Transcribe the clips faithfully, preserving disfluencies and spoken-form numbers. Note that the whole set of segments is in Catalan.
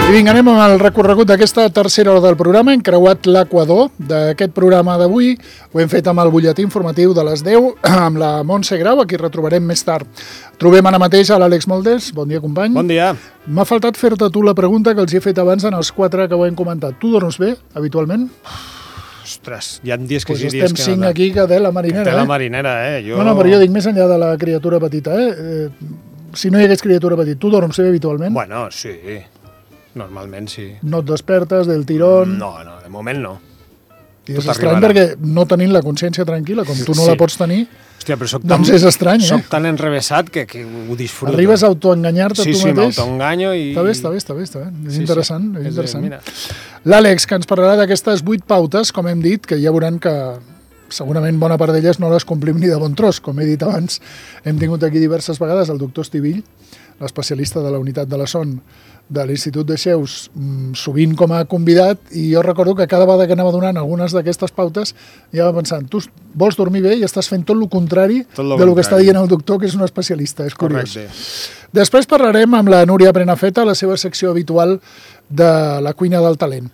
I vinga, anem amb el recorregut d'aquesta tercera hora del programa. Hem creuat l'equador d'aquest programa d'avui. Ho hem fet amb el butlletí informatiu de les deu, amb la Montse Grau, a qui retrobarem més tard. Trobem ara mateix a l'Àlex Moldes. Bon dia, company. Bon dia. M'ha faltat fer-te tu la pregunta que els he fet abans en els quatre que ho hem comentat. Tu dorms bé, habitualment? Ostres, hi ha dies que pues sí, dies que no. Estem cinc aquí que té la marinera, té eh? la marinera, eh? Jo... No, no, però jo dic més enllà de la criatura petita, eh? eh si no hi hagués criatura petita, tu dorms bé habitualment? Bueno, sí. Normalment sí. No et despertes del tirón? No, no, de moment no. I és estrany perquè no tenint la consciència tranquil·la, com tu no sí. la pots tenir, hòstia, però soc doncs tan, és estrany, eh? Soc tan enrevessat que, que ho disfruto. Arribes a autoenganyar-te sí, tu sí, mateix? Sí, sí, m'autoenganyo i... Està bé, està bé, està bé, està bé. És sí, interessant, sí. és interessant. És, L'Àlex, que ens parlarà d'aquestes vuit pautes, com hem dit, que ja veuran que segurament bona part d'elles no les complim ni de bon tros. Com he dit abans, hem tingut aquí diverses vegades el doctor Estivill, l'especialista de la unitat de la son de l'Institut de Xeus, sovint com a convidat, i jo recordo que cada vegada que anava donant algunes d'aquestes pautes ja va pensant, tu vols dormir bé i estàs fent tot el contrari tot lo del que està dient el doctor, que és un especialista, és curiós. Correcte. Després parlarem amb la Núria Prenafeta, la seva secció habitual de la cuina del talent.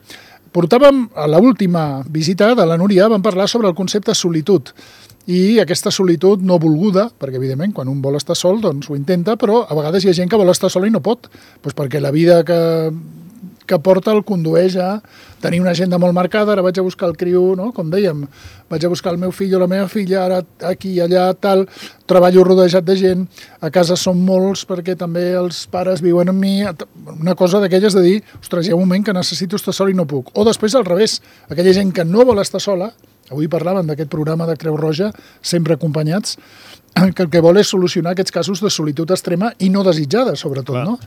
Portàvem, a l'última visita de la Núria, vam parlar sobre el concepte solitud, i aquesta solitud no volguda, perquè evidentment quan un vol estar sol doncs ho intenta, però a vegades hi ha gent que vol estar sola i no pot, doncs perquè la vida que, que porta el condueix a tenir una agenda molt marcada. Ara vaig a buscar el criu, no? Com dèiem, vaig a buscar el meu fill o la meva filla, ara aquí, allà, tal, treballo rodejat de gent, a casa som molts perquè també els pares viuen amb mi, una cosa d'aquelles de dir, ostres, hi ha un moment que necessito estar sol i no puc. O després al revés, aquella gent que no vol estar sola, avui parlàvem d'aquest programa de Creu Roja, sempre acompanyats, que el que vol és solucionar aquests casos de solitud extrema i no desitjada, sobretot, Clar. no?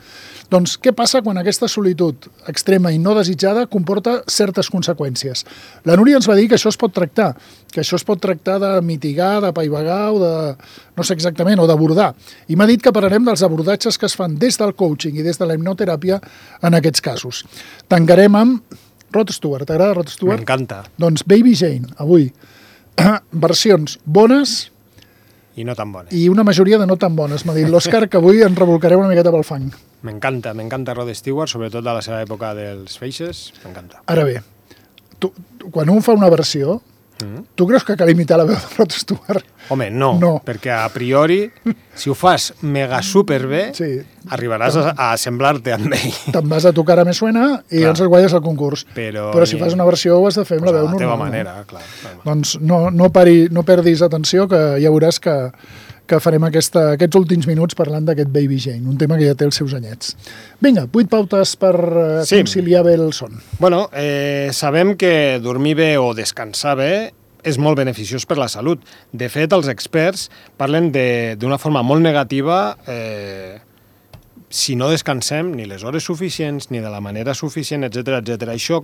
Doncs què passa quan aquesta solitud extrema i no desitjada comporta certes conseqüències? La Núria ens va dir que això es pot tractar, que això es pot tractar de mitigar, de paivagar o de, no sé exactament, o d'abordar. I m'ha dit que parlarem dels abordatges que es fan des del coaching i des de la hipnoteràpia en aquests casos. Tancarem amb Rod Stewart. T'agrada Rod Stewart? M'encanta. Doncs Baby Jane, avui. Versions bones i no tan bones. I una majoria de no tan bones. M'ha dit l'Òscar que avui ens rebolcarem una miqueta pel fang. M'encanta, m'encanta Rod Stewart, sobretot de la seva època dels Faces, m'encanta. Ara bé, tu, tu, quan un fa una versió, mm-hmm. tu creus que cal imitar la veu de Rod Stewart? Home, no, no, perquè a priori, si ho fas mega superbé, sí. arribaràs a, a semblar-te amb ell. Te'n vas a Tu cara me suena i ens el guanyes al concurs. Però, Però si fas una versió ho has de fer amb pues la veu normal. A la teva manera, no? clar. clar. Doncs no, no, pari, no perdis atenció, que ja veuràs que, que farem aquesta, aquests últims minuts parlant d'aquest Baby Jane, un tema que ja té els seus anyets. Vinga, vuit pautes per uh, sí. conciliar bé el son. Bueno, eh, sabem que dormir bé o descansar bé és molt beneficiós per la salut. De fet, els experts parlen d'una forma molt negativa eh, si no descansem ni les hores suficients, ni de la manera suficient, etcètera, etcètera. Això,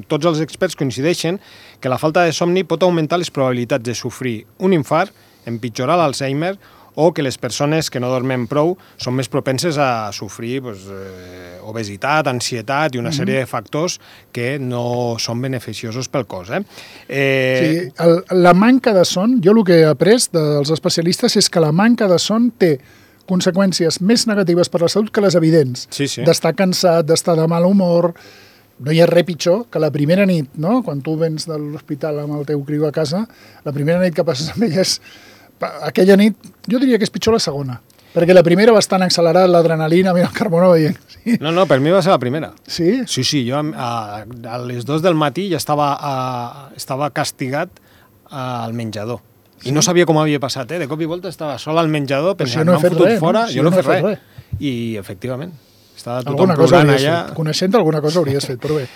tots els experts coincideixen que la falta de somni pot augmentar les probabilitats de sofrir un infart, empitjorar l'Alzheimer, o que les persones que no dormen prou són més propenses a sofrir pues, eh, obesitat, ansietat i una mm-hmm. sèrie de factors que no són beneficiosos pel cos. Eh? Eh... Sí, el, la manca de son, jo el que he après dels especialistes és que la manca de son té conseqüències més negatives per la salut que les evidents. Sí, sí. D'estar cansat, d'estar de mal humor. No hi ha res pitjor que la primera nit, no? Quan tu vens de l'hospital amb el teu criu a casa, la primera nit que passes amb ell és... Aquella nit, jo diria que és pitjor la segona, perquè la primera va estar accelerada, l'adrenalina, mira el Carmona veient. Sí. No, no, per mi va ser la primera. Sí? Sí, sí, jo a, a les dos del matí ja estava, a, estava castigat al menjador. I sí. no sabia com havia passat, eh? De cop i volta estava sol al menjador, pensant, no m'han fotut res, fora, no? Si jo no, no he fet res. res. I, efectivament, estava tothom alguna cosa plorant allà. Fet. Coneixent alguna cosa hauries fet, però bé.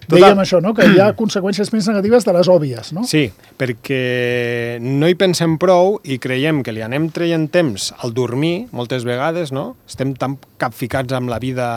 Dèiem això, no? Que hi ha conseqüències més negatives de les òbvies, no? Sí, perquè no hi pensem prou i creiem que li anem traient temps al dormir, moltes vegades, no? Estem tan capficats amb la vida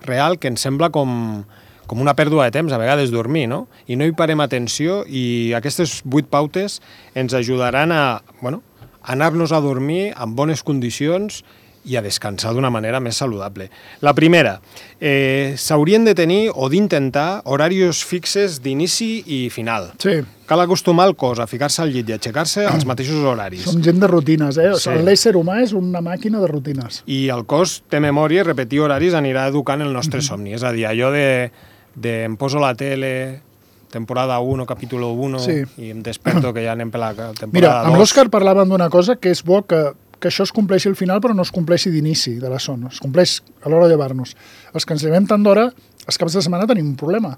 real que ens sembla com, com una pèrdua de temps, a vegades, dormir, no? I no hi parem atenció i aquestes vuit pautes ens ajudaran a, bueno, anar-nos a dormir en bones condicions i a descansar d'una manera més saludable. La primera, eh, s'haurien de tenir o d'intentar horaris fixes d'inici i final. Sí. Cal acostumar el cos a ficar-se al llit i aixecar-se als mateixos horaris. Som gent de rutines, eh? O Sí. sigui, l'ésser humà és una màquina de rutines. I el cos té memòria i repetir horaris anirà educant el nostre somni. És a dir, allò de, de em poso la tele, temporada u, capítol u, Sí. i em desperto que ja anem per la temporada Mira, amb dos. l'Òscar parlàvem d'una cosa que és bo que, que això es compleixi al final, però no es compleixi d'inici de la son. Es compleix a l'hora de llevar-nos. Els que ens llevem tant d'hora, els caps de setmana tenim un problema.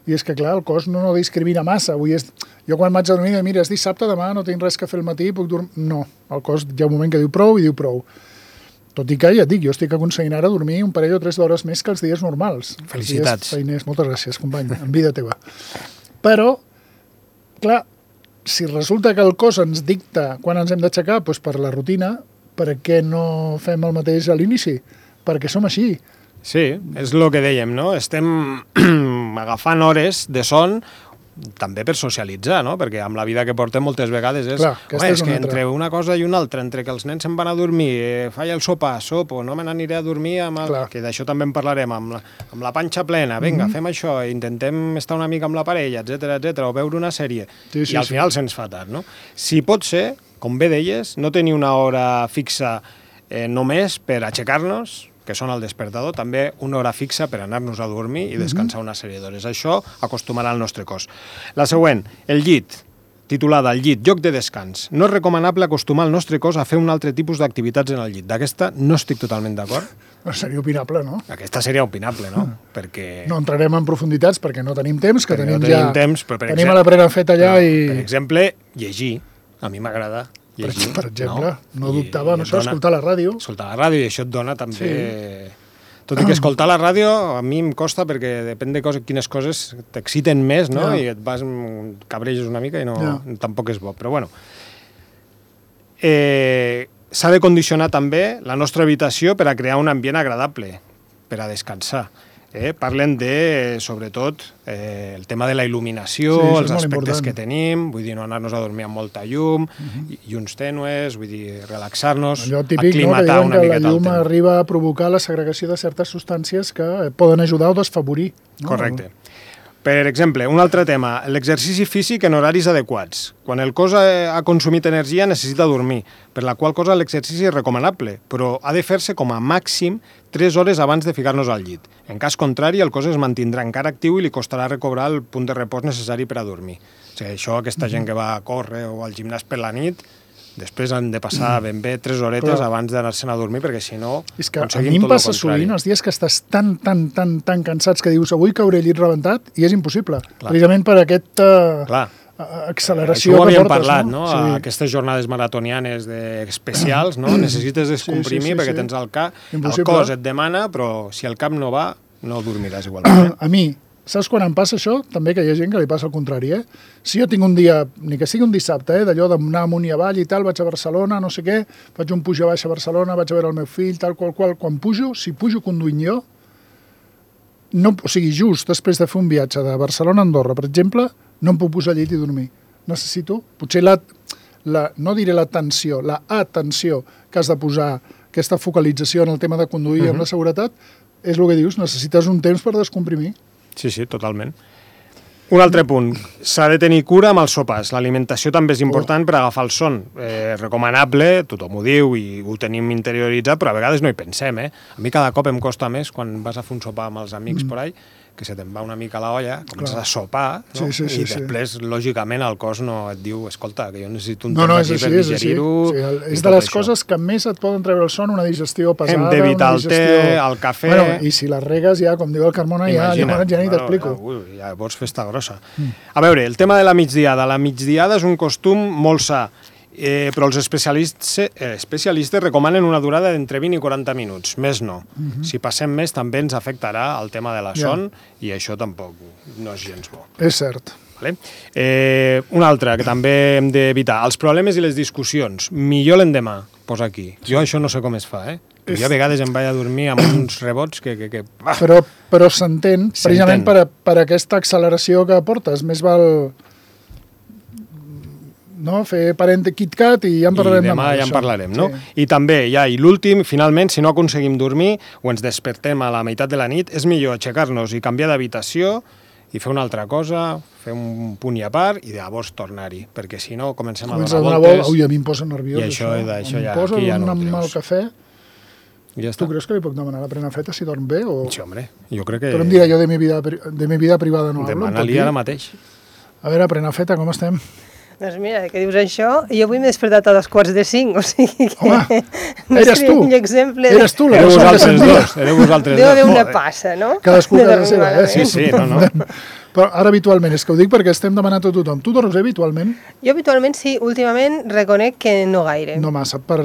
I és que, clar, el cos no, no discrimina massa. Avui és... Jo quan vaig a dormir, mira, és dissabte, demà no tinc res que fer al matí, puc dormir... No, el cos hi ha un moment que diu prou i diu prou. Tot i que, ja et dic, jo estic aconseguint ara dormir un parell o tres d'hores més que els dies normals. Felicitats. Els dies feiners. Moltes gràcies, company, en vida teva. Però, clar, si resulta que el cos ens dicta quan ens hem d'aixecar, doncs per la rutina, per què no fem el mateix a l'inici? Perquè som així. Sí, és el que dèiem, no? Estem agafant hores de son també per socialitzar, no? Perquè amb la vida que portem moltes vegades és... Clar, home, és, és que una entre altra. una cosa i una altra, entre que els nens se'n van a dormir, eh, falla el sopar, sopo, no me n'aniré a dormir amb el... Clar. Que d'això també en parlarem, amb la, amb la panxa plena, vinga, mm -hmm. fem això, intentem estar una mica amb la parella, etcètera, etcètera, o veure una sèrie, Sí, sí, i al sí. final se'ns fa tard, no? Si pot ser, com bé deies, no tenir una hora fixa eh, només per aixecar-nos, que són el despertador, també una hora fixa per anar-nos a dormir i descansar una sèrie d'hores. Això acostumarà el nostre cos. La següent, el llit, titulada El llit, lloc de descans. No és recomanable acostumar el nostre cos a fer un altre tipus d'activitats en el llit. D'aquesta no estic totalment d'acord. No seria opinable, no? Aquesta seria opinable, no? Perquè... No entrarem en profunditats perquè no tenim temps, que perquè tenim, no tenim ja... temps, però per tenim exemple- a la prena feta allà No, i... Per exemple, llegir. A mi m'agrada Per, llegir. per exemple, no, no I- dubtava en i et això, dona- escoltar la ràdio. Escoltar la ràdio, i això et dona també... Tot i que escoltar la ràdio a mi em costa perquè depèn de coses, quines coses t'exciten més, no? Ja. I et vas, cabreges una mica i no, Ja. tampoc és bo. Però bueno, eh, s'ha de condicionar també la nostra habitació per a crear un ambient agradable, per a descansar. Eh? Parlen de, sobretot, eh, el tema de la il·luminació, Sí, això és els molt aspectes important. que tenim, vull dir, no anar-nos a dormir amb molta llum, uh-huh. llums tènues, vull dir, relaxar-nos, Allò típic, no, que aclimatar diuen una que la miqueta el llum temps. arriba a provocar la segregació de certes substàncies que poden ajudar o desfavorir. No? Correcte. Per exemple, un altre tema, l'exercici físic en horaris adequats. Quan el cos ha, ha consumit energia necessita dormir, per la qual cosa l'exercici és recomanable, però ha de fer-se com a màxim tres hores abans de ficar-nos al llit. En cas contrari, el cos es mantindrà encara actiu i li costarà recobrar el punt de repòs necessari per a dormir. O sigui, això, aquesta gent que va a córrer o al gimnàs per la nit, després han de passar ben bé tres horetes Clar. abans d'anar-se'n a dormir, perquè si no És que a aconseguim mi em tot el passa contrari. sovint els dies que estàs tan, tan, tan, tan cansats que dius avui cauré al llit rebentat i és impossible. Clar. Precisament per aquesta Clar. acceleració Això ho que havíem portes, parlat, no? no? Sí. Aquestes jornades maratonianes de especials, no? Necessites descomprimir sí, sí, perquè sí. tens el cap, el Impossible. cos et demana, però si el cap no va, no dormiràs igualment. A mi, saps quan em passa això? També que hi ha gent que li passa el contrari, eh? Si jo tinc un dia, ni que sigui un dissabte, eh, d'allò d'anar amunt i avall i tal, vaig a Barcelona, no sé què, faig un puja baix a Barcelona, vaig a veure el meu fill, tal qual qual, quan pujo, si pujo conduint jo, no, o sigui, just després de fer un viatge de Barcelona a Andorra, per exemple, no em puc posar al llit i dormir. Necessito, potser la, la no diré la tensió, la atenció que has de posar, aquesta focalització en el tema de conduir uh-huh. amb la seguretat, és el que dius, necessites un temps per descomprimir. Sí, sí, totalment. Un altre punt, s'ha de tenir cura amb els sopars. L'alimentació també és important oh. per agafar el son. Eh, recomanable, tothom ho diu i ho tenim interioritzat, però a vegades no hi pensem, eh? A mi cada cop em costa més quan vas a fer un sopar amb els amics mm. por ahí, que se te'n va una mica la olla, comences Clar. a sopar, no? Sí, sí, sí, i després, sí. lògicament, el cos no et diu, escolta, que jo necessito un No, temps no, és aquí així, per és així. digerir-ho. Sí, el, i és tot de les això. coses que més et poden treure el son, una digestió pesada, Hem d'evitar una el digestió... té, el cafè... Bueno, i si les regues ja, com diu el Carmona, ja, ja, ja, ja ni t'explico. Ui, ja vols festa grossa. Mm. A veure, el tema de la migdiada. La migdiada és un costum molt sa, eh, però els especialistes, eh, especialistes recomanen una durada d'entre vint i quaranta minuts, més no. Mm-hmm. Si passem més també ens afectarà el tema de la son yeah. i això tampoc no és gens bo. És cert. Vale? Eh, un altre que també hem d'evitar, els problemes i les discussions. Millor l'endemà, posa aquí. Jo això no sé com es fa, eh? És... Jo a vegades em vaig a dormir amb uns rebots que... que, que... Però, però s'entén, precisament per, per aquesta acceleració que portes. Més val... no? Fer parent de KitKat i ja en parlarem I demà. demà ja en això. parlarem, no? Sí. I també, ja, i l'últim, finalment, si no aconseguim dormir o ens despertem a la meitat de la nit, és millor aixecar-nos i canviar d'habitació i fer una altra cosa, fer un punt i a part i llavors tornar-hi, perquè si no comencem Comença a a donar donar voltes... voltes. Ui, a mi em posa nerviós, I això, això. això em ja, posa aquí ja no ho amb treus. el cafè. I ja Tu està. creus que li puc demanar la Prenafeta si dorm bé? O... Sí, hombre, jo crec que... Però em dirà jo de mi vida, de mi vida privada no hablo. em pot Demana-li dir? ara mateix. A veure, Prenafeta, com estem? Doncs mira, que dius això, jo avui m'he despertat a dos quarts de cinc, o sigui que... Home, no eres seria tu. un exemple de- Eres tu la Éreu persona que vosaltres sentia. dos, éreu vosaltres Deu dos. haver una Joder. passa, no? Cadascú De a casa dormir seva, eh? malament. Sí, sí, no, no. Però ara habitualment, és que ho dic perquè estem demanant a tothom. Tu dorms bé habitualment? Jo habitualment sí, últimament reconec que no gaire. No massa, per,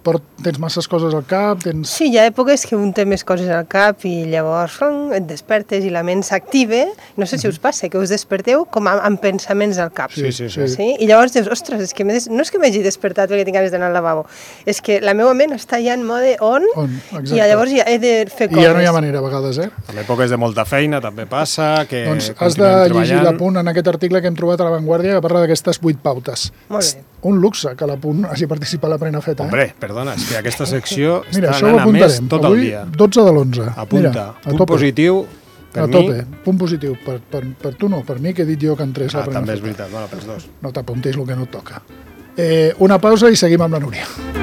per, tens masses coses al cap, tens... Sí, hi ha èpoques que un té més coses al cap i llavors rum, et despertes i la ment s'activa. No sé si us passa, que us desperteu com amb, amb pensaments al cap. Sí, sí, sí. Sí? I llavors dius, ostres, és que m'he des... no és que m'hagi despertat perquè tinc ganes d'anar al lavabo, és que la meva ment està ja en mode on, On, exacte. i llavors ja he de fer I coses. ja no hi ha manera, a vegades, eh? En èpoques de molta feina també passa, que Doncs has de continuem llegir treballant. l'apunt en aquest article que hem trobat a La Vanguardia que parla d'aquestes vuit pautes. Molt bé. Un luxe que l'apunt hagi participat a la Prenafeta, eh? Hombre, perdona, és que aquesta secció Mira, està això ho anant a més apuntarem. tot Avui, el dia. dotze de l'onze. Apunta. Mira, a Punt tope. positiu, per a mi... tope, punt positiu. Per, per, per tu no, per mi que he dit jo que entrés Ah, la també és Prenafeta. veritat, bueno, pels dos. No t'apuntis el que no et toca. Eh, una pausa i seguim amb la Núria.